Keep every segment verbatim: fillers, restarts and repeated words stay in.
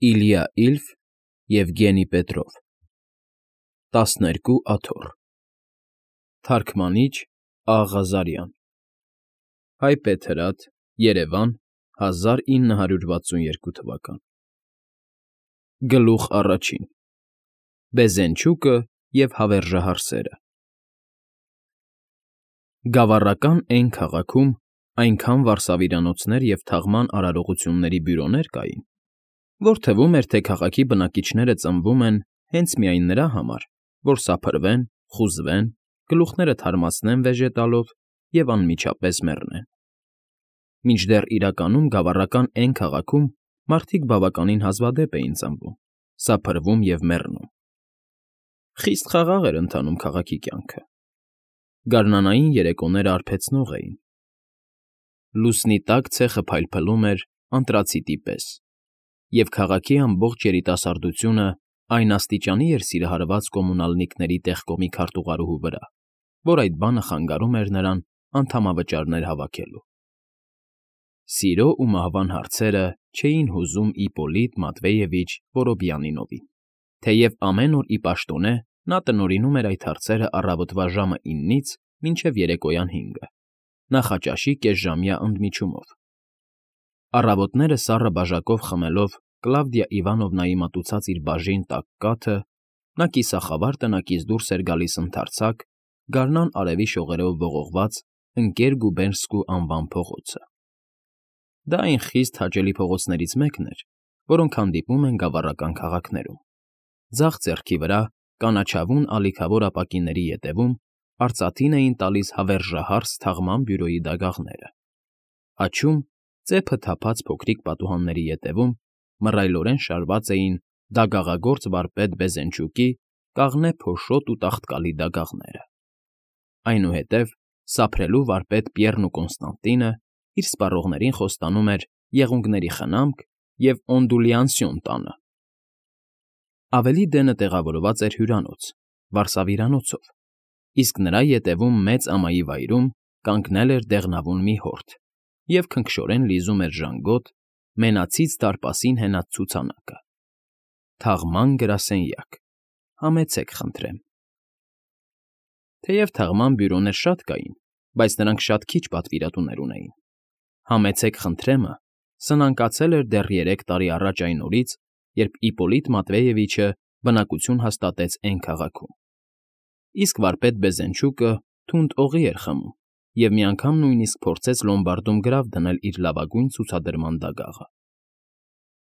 Իլյա Իլֆ, Եվգենի Պետրով տասներկու աթոռ Թարգմանիչ Ա Ղազարյան Հայպեթ Հրաթ, Երևան հազար ինը հարյուր վաթսուններկու թվական Գլուխ առաջին Բեզենչուկը և հավերժահարսերը Գավառական Էն քաղաքում այնքան վարսավիրանոցներ և թաղման արարողությունների բյուրոներ կային, որ թվում էր, թե քաղաքի բնակիչները ծնվում են հենց միայն նրա համար, որ սափրվեն, խուզվեն, գլուխները թարմացնեն վեժե տալով և անմիջապես մեռնեն։ Մինչդեռ իրականում գավառական Էն քաղաքում մարդիկ բավականին հազվադեպ էին ծնվում, սափրվում և մեռնում։ Խիստ խաղաղ էր ընթանում քաղաքի կյանքը։ Գարնանային երեկոները արբեցնող էին։ Լուսնի տակ ցեխը փայլփլում էր անտրացիտի պես, և քաղաքի ամբողջ երիտասարդությունը այն աստիճանի էր սիրահարված կոմունալնիկների տեղկոմի քարտուղարուհու վրա, որ այդ բանը խանգարում էր նրան անդամավճարներ հավաքելու։ Սիրո ու մահվան հարցերը չէին հուզում Իպպոլիտ Մատվեևիչ Որոբիանինովին, թեև ամեն օր ի պաշտոնե նա տնօրինում էր այդ հարցերը առավոտվա ժամը իննից մինչև երեկոյան հինգը, նախաճաշի կեսժամյա ընդմիջումով։ Առավոտները սառը բաժակով խմելով Կլավդիա Իվանովնայի մատուցած իր բաժին տաք կաթը, նա կիսախավար տնակից դուրս էր գալիս ընդարձակ գարնան արևի շողերով ողողված Ընկեր Գուբերնսկու անվան փողոցը։ Դա այն խիստ հաճելի փողոցներից մեկն էր, որոնք հանդիպում են գավառական քաղաքներում։ Ձախ ձեռքի վրա, կանաչավուն ալիքավոր ապակիների ետևում արծաթին էին տալիս հավերժահարս թաղման բյուրոյի դագաղները։ Աջում, ծեփը թափած փոքրիկ պատուհանների ետևում մռայլորեն շարված էին դագաղագործ վարպետ Բեզենչուկի կաղնե փոշոտ ու տաղտկալի դագաղները։ Այնուհետև սափրելու վարպետ Պիեռն ու Կոնստանտինը իր սպառողներին խոստանում էր եղունգների խնամք և օնդուլյանսիոն տանը։ Ավելի դենը տեղավորված էր հյուրանոց, վարսավիրանոցով, իսկ նրա ետևում մեծ ամայի վայրում կանգնել էր դեղնավուն մի հորթ և քնքշորեն լիզում էր ժանգոտ, մենացից դարպասին հենած ցուցանակը։ Թաղման գրասենյակ, համեցեք խնդրեմ։ Թեև թաղման բյուրոներ շատ կային, բայց նրանք շատ քիչ պատվիրատուներ ունեին։ Համեցեք խնդրեմը սնանկացել էր դեռ երեք տարի առաջ այն օրից, երբ Իպպոլիտ Մատվեևիչը բնակություն հաստատեց Էն քաղաքում։ Իսկ վարպետ Բեզենչուկը թունդ օղի էր խմում և մի անգամ նույնիսկ փորձեց լոմբարդում գրավ դնել իր լավագույն ցուցադրման դագաղը։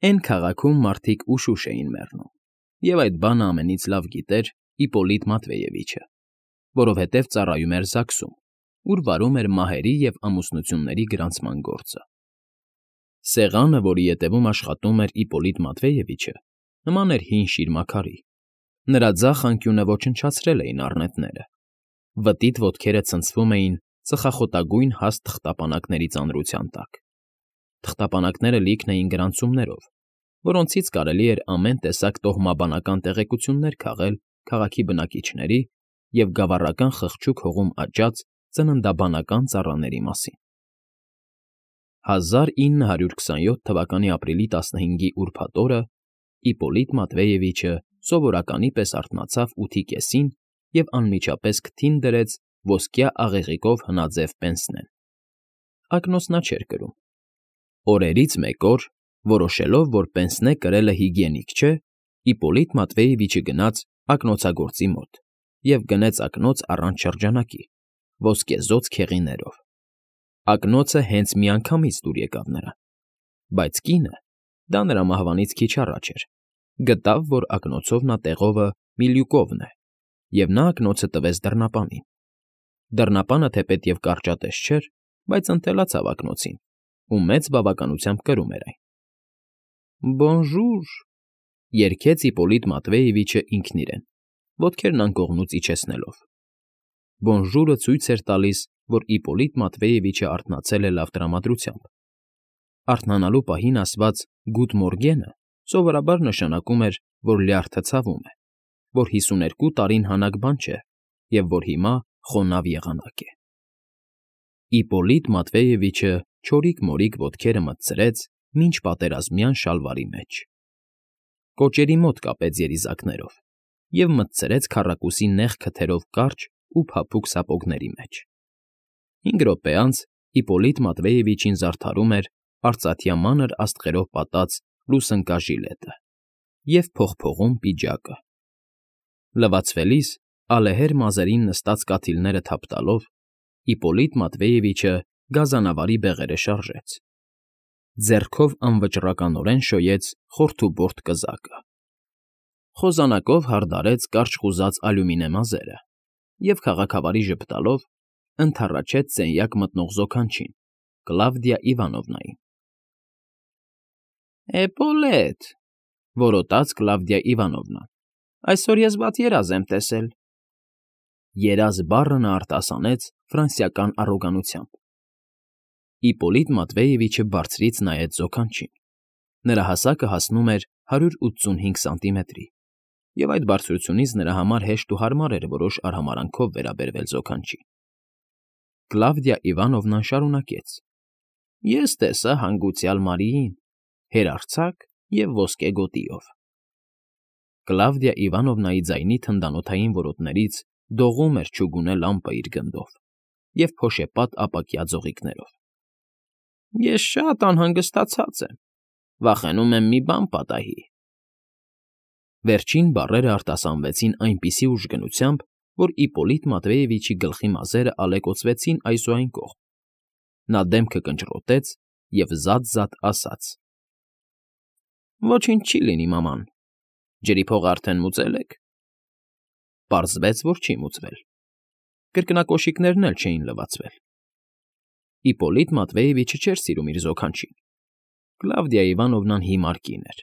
Էն քաղաքում մարդիկ ուշուշ էին մեռնում, և այդ բանը ամենից լավ գիտեր Իպպոլիտ Մատվեևիչը, որովհետև ծառայում էր ԶԱԳՍ֊ում, ուր վարում էր մահերի և ամուսնությունների գրանցման գործը։ Սեղանը, որի ետևում աշխատում էր Իպպոլիտ Մատվեևիչը, նման էր հին շիրմաքարի։ Նրա ձախ անկյունը ոչնչացրել էին առնետները։ Վտիտ ոտքերը ցնցվում էին ծխախոտագույն հաստ թղթապանակների ծանրության տակ։ Թղթապանակները լիքն էին գրանցումներով, որոնցից կարելի էր ամեն տեսակ տոհմաբանական տեղեկություններ քաղել քաղաքի բնակիչների և գավառական խղճուկ հողում աճած ծննդաբանական ծառաների մասին։ հազար ինը հարյուր քսանյոթ թվականի ապրիլի տասնհինգի ուրբաթ օրը Իպպոլիտ Մատվեևիչը սովորականի պես արթնացավ ութի կեսին և անմիջապես քթին դրեց ոսկյա աղեղիկով հնաձև պենսնեն։ Ակնոց նա չէր կրում։ Օրերից մեկ օր, որոշելով, որ պենսնե կրելը հիգիենիկ չէ, Իպպոլիտ Մատվեևիչը գնաց ակնոցագործի մոտ և գնեց ակնոց առանց շրջանակի, ոսկեզօծ քեղիներով։ Ակնոցը հենց միանգամից դուր եկավ նրան, բայց կինը, դա նրա մահվանից քիչ առաջ էր, գտավ, որ ակնոցով նա տեղովը Միլյուկովն է, և նա ակնոցը տվեց դռնապանին։ Դռնապանը թեպետև կարճատև չէր, բայց ընթելացավ ակնոցին ու մեծ բավականությամբ կրում էր այն։ Բոնժուր, երգեց Իպպոլիտ Մատվեևիչը ինքն իրեն, ոտքերն անկողնուց իջեցնելով։ Բոնժուրը ցույց էր տալիս, որ Իպպոլիտ Մատվեևիչը արթնացել է լավ տրամադրությամբ։ Արթնանալու պահին ասված «Գուտ մորգենը» սովորաբար նշանակում էր, որ լյարդը ցավում է, որ հիսուներկու տարին հանակ բան չէ և որ հիմա խոնավ եղանակ է։ Իպպոլիտ Մատվեևիչը չորիկ֊մորիկ ոտքերը մտցրեց մինչպատերազմյան շալվարի մեջ։ կոճերի մոտ կապեց երիզակներով և մտցրեց քառակուսի նեղ քթերով կարճ ու փափուկ սապոգների մեջ։ Հինգ րոպե անց Իպոլիտ Մատվեևիչին զարդարում էր արծաթյա մանր աստղերով պատած լուսնկա ժիլետը և փողփողուն պիջակը։ Լվացվելիս, ալեհեր մազերին նստած կաթիլները թափ տալով, Իպոլիտ Մատվեևիչը գազանավարի բեղերը շարժեց, ձեռքով անվճռականորեն շոյեց խորթուբորտ կզակը, խոզանակով հարդարեց կարճ խուզած ալյումինե մազերը և, քաղաքավարի ժպտալով, ընդառաջեց սենյակ մտնող զոքանչին՝ Կլավդիա Իվանովնային։ ֊ Էպոլետ,֊ որոտաց Կլավդիա Իվանովնան,֊ այսօր ես վատ երազ եմ տեսել։ «Երազ» բառը նա արտասանեց ֆրանսիական առոգանությամբ։ Իպոլիտ Մատվեևիչը բարձրից նայեց զոքանչին. նրա հասակը հասնում էր հարյուր ութսունհինգ սանտիմետրի, և այդ բարձրությունից նրա համար հեշտ ու հարմար էր որոշ արհամարհանքով վերաբերվել զոքանչին։ Կլավդիա Իվանովնան շարունակեց. «Ես տեսա հանգուցյալ Մարիին, հերարձակ և ոսկե գոտիով»։ Կլավդիա Իվանովնայի ձայնի թնդանոթային որոտներից դողում էր չուգունե լամպը իր գնդով և փոշեպատ ապակյա ձողիկներով։ ֊ Ես շատ անհանգստացած եմ, վախենում եմ մի բան պատահի։ Վերջին բառերը արտասանվեցին այնպիսի ուժգնությամբ, որ Իպոլիտ Մատվեևիչի գլխի մազերը ալեկոծվեցին այս ու այն կողմ։ Նա դեմքը կնճռոտեց և զատ֊զատ ասաց. «Ոչինչ չի լինի, մաման, ջրի փողը արդեն մուծե՞լ եք»։ Պարզվեց, որ չի մուծվել, կրկնակոշիկներն էլ չէին լվացվել։ Իպոլիտ Մատվեևիչը չէր սիրում իր զոքանչին։ Կլավդիա Իվանովնան հիմար կին էր,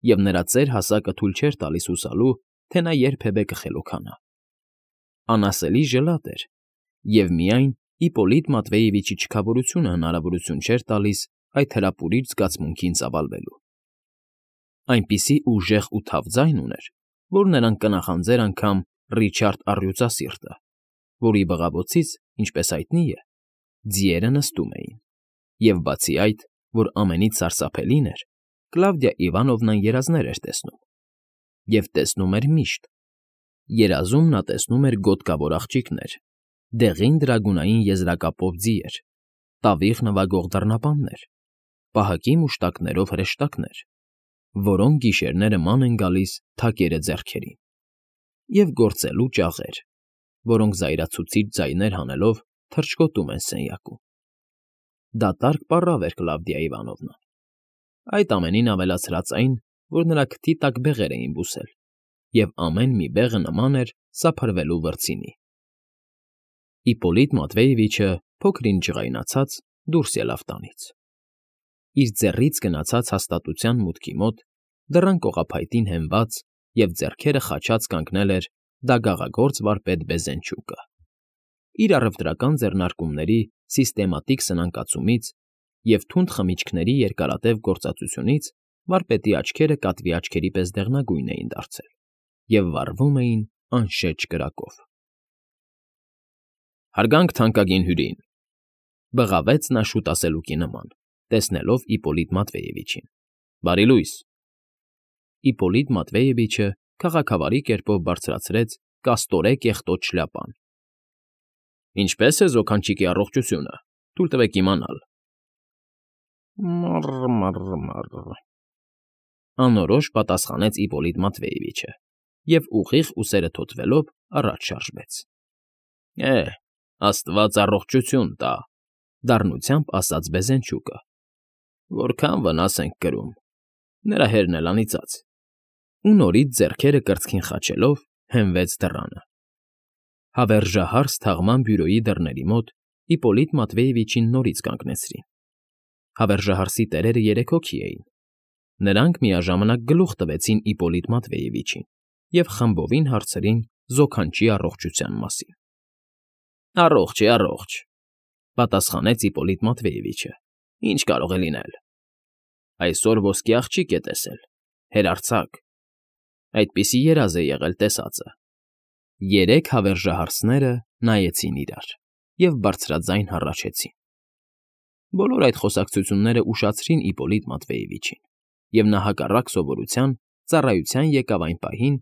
և նրա ծեր հասակը թույլ չէր տալիս հուսալու, թե նա երբևէ կխելոքանա։ Անասելի ժլատ էր, և միայն Իպոլիտ Մատվեևիչի չքավորությունը հնարավորություն չէր տալիս այդ հրապուրիչ զգացմունքին ծավալվելու։ Այնպիսի ուժեղ ու թավ ձայն ուներ, որ նրան կնախանձեր անգամ Ռիչարդ Առյուծասիրտը, որի բղավոցից, ինչպես հայտնի է, ձիերը նստում էին, և բացի այդ, որ ամենից սարսափելին էր, Կլավդիա Իվանովնան երազներ էր տեսնում։ Եվ տեսնում էր միշտ։ Երազում նա տեսնում էր գոտկավոր աղջիկներ, դեղին դրագունային եզրակապով ձիեր, տավիղ նվագող դռնապաններ, պահակի մուշտակներով հրեշտակներ, որոնք գիշերները ման են գալիս թակերը ձեռքերին, և գործելու ճաղեր, որոնք զայրացուցիչ ձայներ հանելով թռչկոտում են սենյակում։ Դատարկ պառավ էր Կլավդիա Իվանովնան։ Այդ ամենին ավելացրած այն, որ նրա քթի տակ բեղեր էին բուսել, և ամեն մի բեղը նման էր սափրվելու վրձինի։ Իպոլիտ Մատվեևիչը, փոքր֊ինչ ջղայնացած, դուրս ելավ տանից։ Իր ձեռից գնացած հաստատության մուտքի մոտ, դռան կողափայտին հենված և ձեռքերը խաչած կանգնել էր դագաղագործ վարպետ Բեզենչուկը։ Իր առևտրական ձեռնարկումների սիստեմատիկ սնանկացումից և թունդ խմիչքների երկարատև գործածությունից վարպետի աչքերը կատվի աչքերի պես դեղնագույն էին դարձել և վառվում էին անշեջ կրակով։ ֊ Հարգանք թանկագին հյուրին,֊ բղավեց նա շուտասելուկի նման, տեսնելով Իպոլիտ Մատվեևիչին։֊ Բարի լույս։ Իպոլիտ Մատվեևիչը քաղաքավարի կերպով բարձրացրեց կաստորե կեղտոտ շլյապան։ ֊ Ինչպե՞ս է զոքանչիկի առողջությունը, թույլ տվեք իմանալ։ ֊ Մռ֊մռ֊մռ,֊ անորոշ պատասխանեց Իպոլիտ Մատվեևիչը և, ուղիղ ուսերը թոթվելով, առաջ շարժվեց։ ֊ Է, աստված առողջություն տա,֊ դառնությամբ ասաց Բեզենչուկը,֊ որքան վնաս ենք կրում, նրա հերն էլ անիծած… Ու նորից ձեռքերը կրծքին խաչելով հենվեց դռանը։ Հավերժահարս թաղման բյուրոյի դռների մոտ Իպոլիտ Մատվեևիչին նորից կանգնեցրին։ Հավերժահարսի տերերը երեք հոգի էին։ Նրանք միաժամանակ գլուխ տվեցին Իպոլիտ Մատվեևիչին և խմբովին հարցրին զոքանչի առողջության մասին։ ֊ Առողջ է, առողջ,֊ պատասխանեց Իպոլիտ Մատվեևիչը։ ֊ Ինչ կարող է լինել։ Այսօր ոսկե աղջիկ է տեսել, հերարձակ… Այդպիսի երազ է եղել տեսածը։ Երեք հավերժահարսները նայեցին իրար և բարձրաձայն հառաչեցին։ Բոլոր այդ խոսակցությունները ուշացրին Իպոլիտ Մատվեևիչին, և նա հակառակ սովորության ծառայության եկավ այն պահին,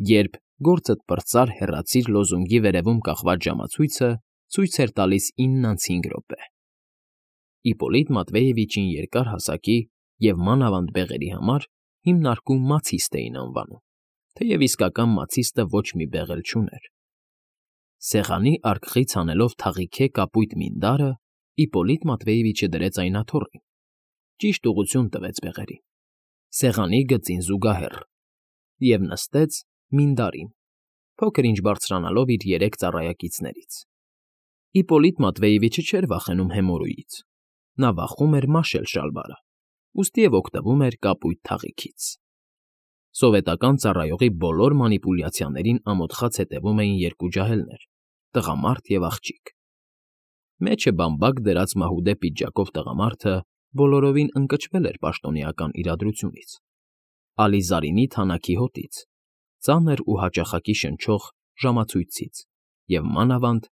երբ «Գործդ պրծար, հեռացիր» լոզունգի վերևում կախված ժամացույցը ցույց էր տալիս ինն անց հինգ րոպե։ Իպոլիտ Մատվեևիչին երկար հասակի և մանավանդ բեղերի համար հիմնարկում Մացիստ էին անվանում, թեև իսկական Մացիստը ոչ մի բեղ էլ չուներ։ Սեղանի արկղից հանելով թաղիքե կապույտ մինդարը, Իպոլիտ Մատվեևիչը դրեց այն աթոռին, ճիշտ ուղղություն տվեց բեղերին, սեղանի գծին զուգահեռ, և նստեց մինդարին, փոքր-ինչ բարձրանալով իր երեք ծառայակիցներից։ Իպոլիտ Մատվեևիչը չէր վախենում հեմորոյից, նա վախում էր մաշել շալվարը, ուստի և օգտվում էր կապույտ թաղիքից։ Սովետական ծառայողի բոլոր մանիպուլյացիաներին ամոթխած հետևում էին երկու ջահելներ՝ տղամարդ և աղջիկ։ Մեջը բամբակ դրած մահուդե պիջակով տղամարդը բոլորովին ընկճվել էր պաշտոնեական իրադրությունից, ալիզարինի թանաքի հոտից, ծանր ու հաճախակի շնչող ժամացույցից և մանավանդ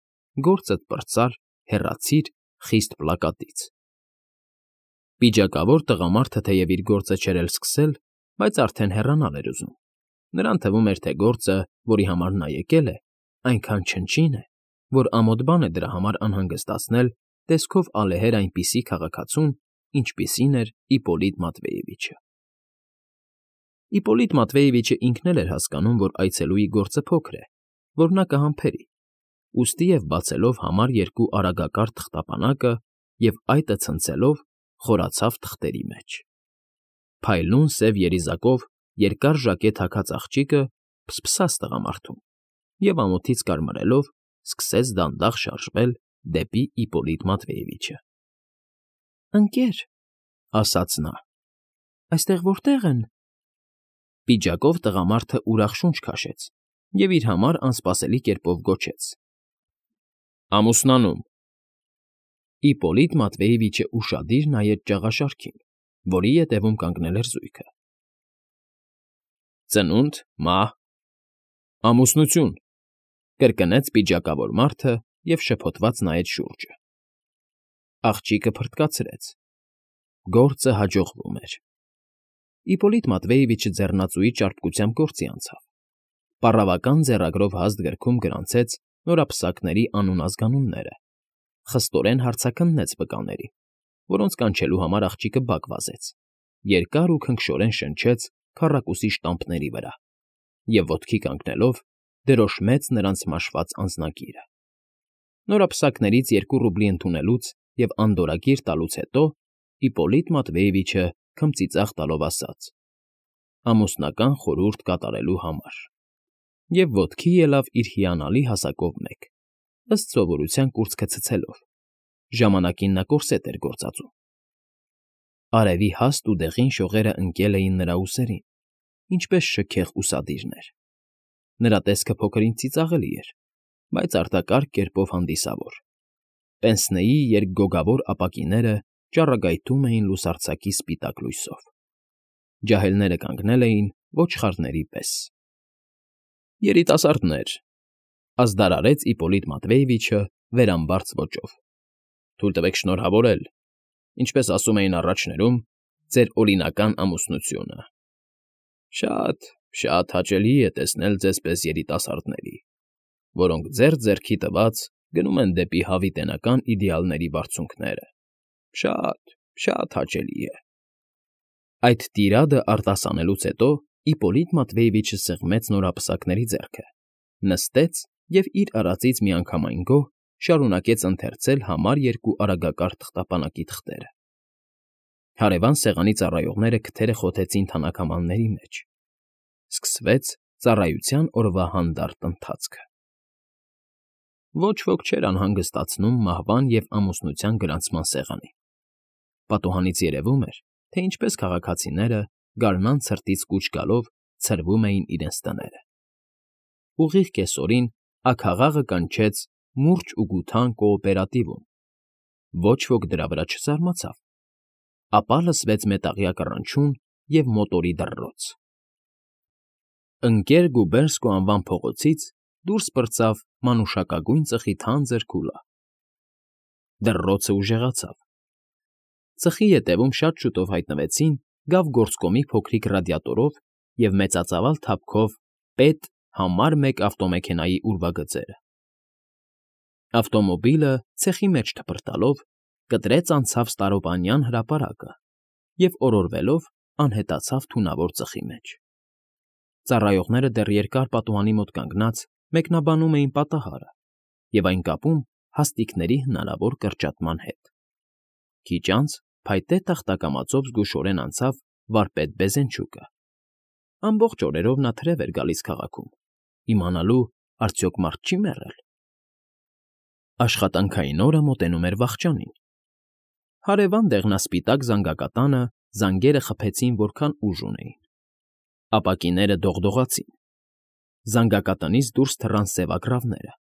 «Գործդ պրծար, հեռացիր» խիստ պլակատից։ Պիջակավոր տղամարդը թեև իր գործը չէր էլ սկսել, բայց արդեն հեռանալ էր ուզում. նրան թվում էր, թե գործը, որի համար նա եկել է, այնքան չնչին է, որ ամոթ բան է դրա համար անհանգստացնել տեսքով ալեհեր այնպիսի քաղաքացուն, ինչպիսին էր Իպոլիտ Մատվեևիչը։ Իպոլիտ Մատվեևիչը ինքն էլ էր հասկանում, որ այցելուի գործը փոքր է, որ նա կհամբերի, ուստի և բացելով համար երկու արագակար թղթապանակը և այտը ցնցելով, խորացավ թղթերի մեջ։ Փայլուն սև երիզակով երկար ժակետ հագած աղջիկը փսփսաց տղամարդուն և ամոթից կարմրելով սկսեց դանդաղ շարժվել դեպի Իպոլիտ Մատվեևիչը։ ֊ Ընկեր, ֊ ասաց նա,֊ այստեղ որտե՞ղ են։ Պիջակով տղամարդը ուրախ շունչ քաշեց և իր համար անսպասելի կերպով գոչեց. ֊ Ամուսնանում։ Իպոլիտ Մատվեևիչը ուշադիր նայեց ճաղաշարքին, որի ետևում կանգնել էր զույգը։ Ծնունդ, մահ, ամուսնություն, ֊ կրկնեց պիջակավոր մարդը և շփոթված նայեց շուրջը։ Աղջիկը փռթկացրեց։ Գործը հաջողվում էր։ Իպոլիտ Մատվեևիչը ձեռնածուի ճարպկությամբ գործի անցավ։ Պառավական ձեռագրով հաստ գրքում գրանցեց նորապսակների անուն֊ազգանունները, խստորեն հարցաքննեց վկաներին, որոնց կանչելու համար աղջիկը բակ վազեց, երկար ու քնքշորեն շնչեց քառակուսի շտամպների վրա և, ոտքի կանգնելով, դրոշմեց նրանց մաշված անձնագիրը։ Նորապսակներից երկու ռուբլի ընդունելուց և անդորրագիր տալուց հետո Իպոլիտ Մատվեևիչը քմծիծաղ տալով ասաց. «Ամուսնական խորհուրդ կատարելու համար» և ոտքի ելավ իր հիանալի հասակով մեկ, ըստ սովորության կուրծքը ցցելով. ժամանակին նա կորսետ էր գործածում։ Արևի հաստ ու դեղին շողերը ընկել էին նրա ուսերին, ինչպես շքեղ ուսադիրներ։ Նրա տեսքը փոքր֊ինչ ծիծաղելի էր, բայց արտակարգ կերպով հանդիսավոր։ Պենսնեի երկգոգավոր ապակիները ճառագայթում էին լուսարձակի սպիտակ լույսով։ Ջահելները կանգնել էին ոչխարների պես։ Երիտասարդներ,֊ ազդարարեց Իպոլիտ Մատվեևիչը վերամբարձ ոճով,֊ թույլ տվեք շնորհավորել, ինչպես ասում էին առաջներում, ձեր օրինական ամուսնությունը։ Շատ, շատ հաճելի է տեսնել ձեզ պես երիտասարդների, որոնք ձեռք֊ձեռքի տված գնում են դեպի հավիտենական իդեալների բարձունքները, շատ, շատ հաճելի է… Այդ տիրադը արտասանելուց հետո Իպոլիտ Մատվեևիչը սեղմեց նորապսակների ձեռքը, նստեց և իր արածից միանգամայն գոհ շարունակեց ընթերցել համար երկու արագակար թղթապանակի թղթերը։ Հարևան սեղանի ծառայողները քթերը խոթեցին թանաքամանների մեջ։ Սկսվեց ծառայության օրվա հանդարտ ընթացքը։ Ոչ ոք չէր անհանգստացնում մահվան և ամուսնության գրանցման սեղանին։ Պատուհանից երևում էր, թե ինչպես քաղաքացիները, գարնան ցրտից կուչ գալով, ցրվում էին իրենց տները։ Ուղիղ կեսօրին աքաղաղը կանչեց մուրճ ու գութան կոոպերատիվում։ Ոչ ոք դրա վրա չզարմացավ։ Ապա լսվեց մետաղյա կռնչյուն և մոտորի դռռոց։ Ընկեր Գուբերսկո անվան փողոցից դուրս պրծավ մանուշակագույն ծխի թանձր քուլա։ Դռռոցը ուժեղացավ։ Ծխի ետևում շատ շուտով հայտնվեցին գավ֊գործկոմի փոքրիկ ռադիատորով և մեծածավալ թափքով պետ համար մեկ ավտոմեքենայի ուրվագծերը։ Ավտոմոբիլը, ցեխի մեջ թփրտալով, կտրեց անցավ Ստարոպանյան հրապարակը և օրորվելով անհետացավ թունավոր ծխի մեջ։ Ծառայողները դեռ երկար պատուհանի մոտ կանգնած մեկնաբանում էին պատահարը և այն կապում հաստիքների հնարավոր կրճատման հետ։ Քիչ անց փայտե տախտակամածով զգուշորեն անցավ վարպետ Բեզենչուկը։ Ամբողջ օրերով նա թրև էր գալիս քաղաքում, իմանալու արդյոք մարդ չի՞ մեռել։ Աշխատանքային օրը մոտենում էր վախճանին։ Հարևան դեղնասպիտակ զանգակատանը զանգերը խփեցին որքան ուժ ունեին։ Ապակիները դողդողացին։ Զանգակատնից դուրս թռան սևագրավները,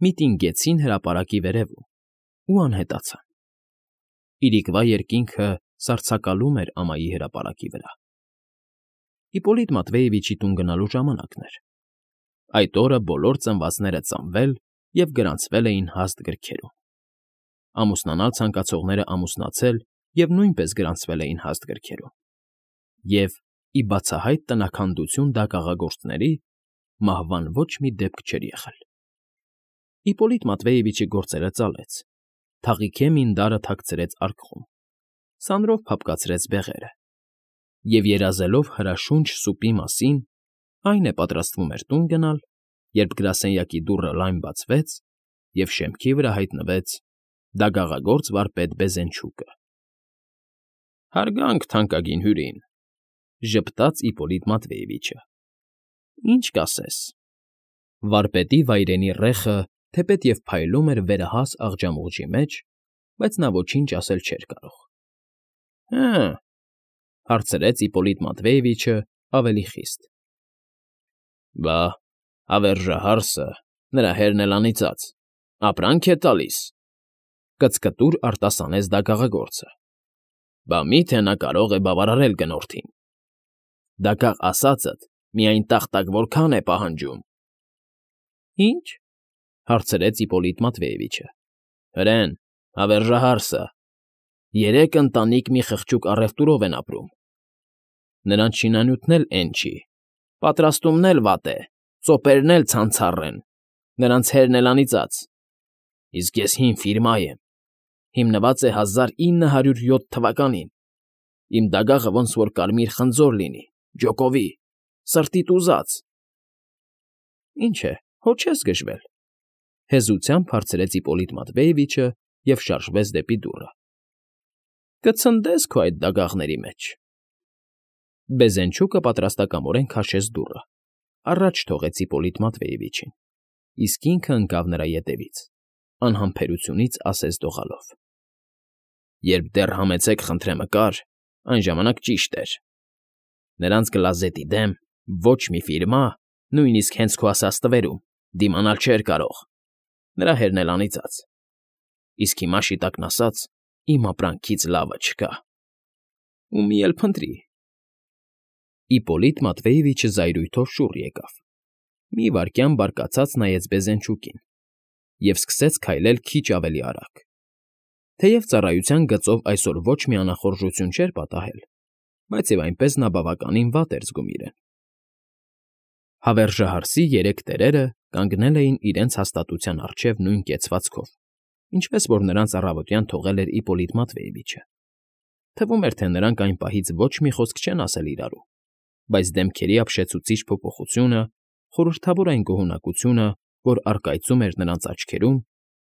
միտինգեցին հրապարակի վերևում ու անհետացան։ Իրիկվա երկինքը սառցակալում էր ամայի հրապարակի վրա։ Հիպոլիտ Մատվեևիչի տուն գնալու ժամանակն էր։ Այդ օրը բոլոր ծնվածները ծնվել և գրանցվել էին հաստ գրքերում։ Ամուսնանալ ցանկացողները ամուսնացել և նույնպես գրանցվել էին հաստ գրքերում։ Եվ, ի բացահայտ տնաքանդություն դագաղագործների, մահվան ոչ մի դեպք չէր եղել։ Հիպոլիտ Մատվեևիչի գործերը ծալեց, թաղիքե մինդարը թաքցրեց արկղում, սանրով փափկացրեց բեղերը և, երազելով հրաշունչ սուպի մասին, այն է պատրաստվում էր տուն գնալ, երբ գրասենյակի դուռը լայն բացվեց, և շեմքի վրա հայտնվեց դագաղագործ վարպետ Բեզենչուկը։ ֊ Հարգանք թանկագին հյուրին,֊ ժպտաց Իպոլիտ Մատվեևիչը։ ֊ Ինչ կասես։ Վարպետի վայրենի ռեխը թեպետև փայլում էր վերահաս աղջամուղջի մեջ, բայց նա ոչինչ ասել չէր կարող։ ֊ Հը՛,֊ հարցրեց Իպոլիտ Մատվեևիչը ավելի խիստ։ ֊ Բա հավերժահարսը, նրա հերն էլ անիծած, ապրանք է տալիս,֊ կծկտուր արտասանեց դագաղագործը։ ֊ Բա մի՞թե նա կարող է բավարարել գնորդին։ Դագաղ ասածդ միայն տախտակ որքան է պահանջում։ ֊ Ի՞նչ,֊ հարցրեց Իպոլիտ Մատվեևիչը։ ֊ Հրեն, հավերժահարսը։ Երեք ընտանիք մի խղճուկ առևտուրով են ապրում։ Նրանց շինանյութն էլ էն չի, պատրաստումն էլ վատ է, ծոպերն էլ ցանցառ են, նրանց հերն էլ անիծած։ Իսկ ես հին ֆիրմա եմ, հիմնված է հազար ինը հարյուր յոթ թվականին, իմ դագաղը ոնց որ կարմիր խնձոր լինի, ջոկովի, սրտիդ ուզած։ ֊ Ինչ է, հո չես գժվել,֊ հեզությամբ հարցրեց Իպոլիտ Մատվեևիչը և շարժվեց դեպի դուռը։ ֊ Կցնդես քո այդ դագաղների մեջ։ Բեզենչուկը պատրաստակամորեն քաշեց դուռը, առաջ թողեց Իպոլիտ Մատվեևիչին, իսկ ինքը ընկավ նրա ետևից, անհամբերությունից ասես դողալով. ֊ Երբ դեռ համեցեք խնդրեմկար, այն ժամանակ ճիշտ էր։ Նրանց գլազետի դեմ ոչ մի ֆիրմա, նույնիսկ հենց քո ասած տվերում, դիմանալ չէր կարող, նրա հերն էլ անիծած։ Իսկ հիմա, շիտակն ասած, իմ ապրանքից լավը չկա։ Ու մի էլ փնտրի։ Իպոլիտ Մատվեևիչը զայրույթով շուռ եկավ, մի վայրկյան բարկացած նայեց Բեզենչուկին և սկսեց քայլել քիչ ավելի արագ։ Թեև ծառայության գծով այսօր ոչ մի անախորժություն չէր պատահել, բայց և այնպես նա բավականին վատ էր զգում իրեն։ Հավերժահարսի երեք տերերը կանգնել էին իրենց հաստատության առջև նույն կեցվածքով, ինչպես որ նրանց առավոտյան թողել էր Իպոլիտ Մատվեևիչը։ Թվում էր, թե նրանք այն պահից ոչ մի խոսք չեն ասել իրարու, բայց դեմքերի ապշեցուցիչ փոփոխությունը, խորհրդավոր այն գոհունակությունը, որ առկայծում էր նրանց աչքերում,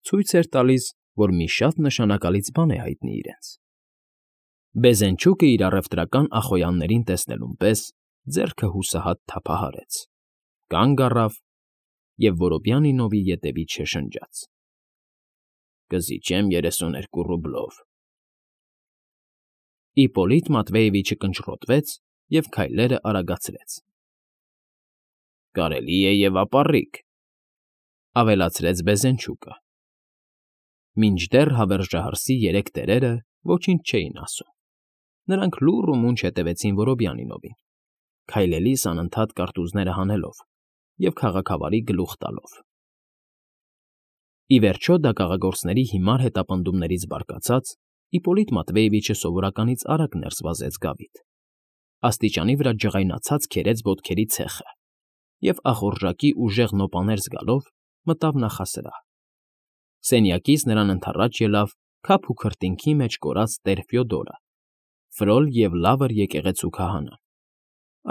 ցույց էր տալիս, որ մի շատ նշանակալից բան է հայտնի իրենց։ Բեզենչուկը իր առևտրական ախոյաններին տեսնելուն պես ձեռքը հուսահատ թափահարեց, կանգ առավ և Որոբյանինովի ետևից շշնջաց. ֊ Կզիջեմ երեսուներկու ռուբլով։ Իպոլիտ Մատվեևիչը կնճռոտվեց և քայլերը արագացրեց։ ֊ Կարելի է և ապառիկ,֊ ավելացրեց Բեզենչուկը։ Մինչդեռ հավերժահարսի երեք տերերը ոչինչ չէին ասում։ Նրանք լուռ ու մունջ հետևեցին Որոբյանինովին, քայլելիս անընդհատ կարտուզները հանելով և քաղաքավարի գլուխ տալով։ Ի վերջո դագաղագործների հիմար հետապնդումներից բարկացած, Իպոլիտ Մատվեևիչը սովորականից արագ ներս վազեց գավիթ։ աստիճանի վրա ջղայնացած քերեց ոտքերի ցեխը և ախորժակի ուժեղ նոպաներ զգալով մտավ նախասրահ։ Սենյակից նրան ընդառաջ ելավ քափ ու քրտինքի մեջ կորած տեր Ֆյոդորը, ֆրոլ և լավր եկեղեցու քահանան,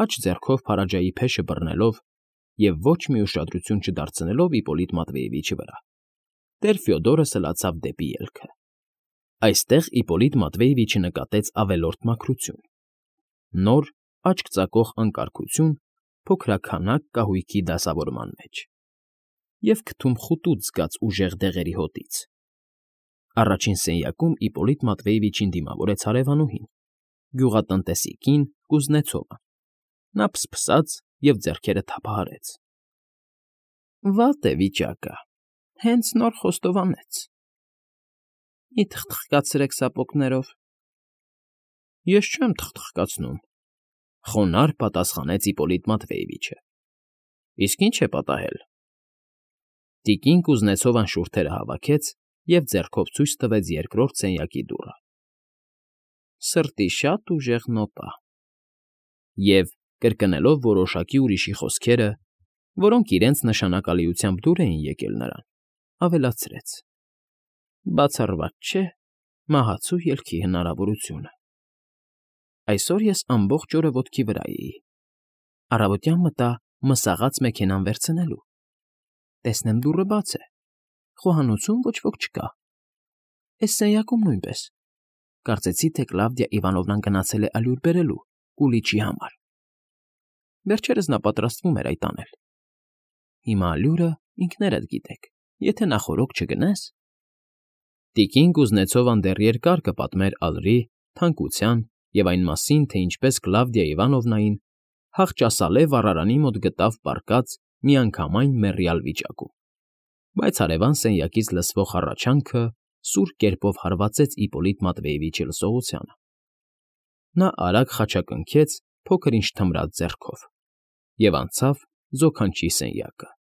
աջ ձեռքով փարաջայի փեշը բռնելով և ոչ մի ուշադրություն չդարձնելով Իպոլիտ Մատվեևիչի վրա, տեր Ֆյոդորը սլացավ դեպի ելքը։ Այստեղ Իպոլիտ Մատվեևիչը նկատեց ավելորդ մաքրություն, նոր, աչք ծակող անկարգություն փոքրաքանակ կահույքի դասավորման մեջ և քթում խուտուց զգաց ուժեղ դեղերի հոտից։ Առաջին սենյակում Իպոլիտ Մատվեևիչին դիմավորեց հարևանուհին, գյուղատնտեսի կին Կուզնեցովը։ Նա փսփսաց և ձեռքերը թափահարեց։ ֊ Վատ է վիճակը, հենց նոր խոստովանեց։ ֊ Մի թխթխկացրեք սապոգներով։ ֊ Ես չեմ թխթխկացնում,֊ խոնարհ պատասխանեց Իպոլիտ Մատվեևիչը։ ֊ Իսկ ի՞նչ է պատահել։ Տիկին Կուզնեցովան շուրթերը հավաքեց և ձեռքով ցույց տվեց երկրորդ սենյակի դուռը։ Սրտի շատ ուժեղ նոպա… Եվ, կրկնելով որոշակի ուրիշի խոսքերը, որոնք իրենց նշանակալիությամբ դուր էին եկել նրան, ավելացրեց. Բացառված չէ մահացու ելքի հնարավորությունը… Այսօր ես ամբողջ օրը ոտքի վրա էի, առավոտյան մտա մսաղաց մեքենան վերցնելու, տեսնեմ դուռը բաց է, խոհանոցում ոչ ոք չկա, էս սենյակում նույնպես, կարծեցի, թե Կլավդիա Իվանովնան գնացել է ալյուր բերելու կուլիչի համար… Վերջերս նա պատրաստվում էր այդ անել… Հիմա ալյուրը, ինքներդ գիտեք, եթե նախօրոք չգնես… Տիկին Կուզնեցովան դեռ երկար կպատմեր ալրի, թանկության և այն մասին, թե ինչպես Կլավդիա Իվանովնային հախճասալե վառարանի մոտ գտավ պառկած միանգամայն մեռյալ վիճակում, բայց հարևան սենյակից լսվող հառաչանքը սուր կերպով հարվածեց Իպոլիտ Մատվեևիչի լսողությանը։ Նա արագ խաչակնքեց փոքր֊ինչ թմրած ձեռքով և անցավ զոքանչի սենյակը։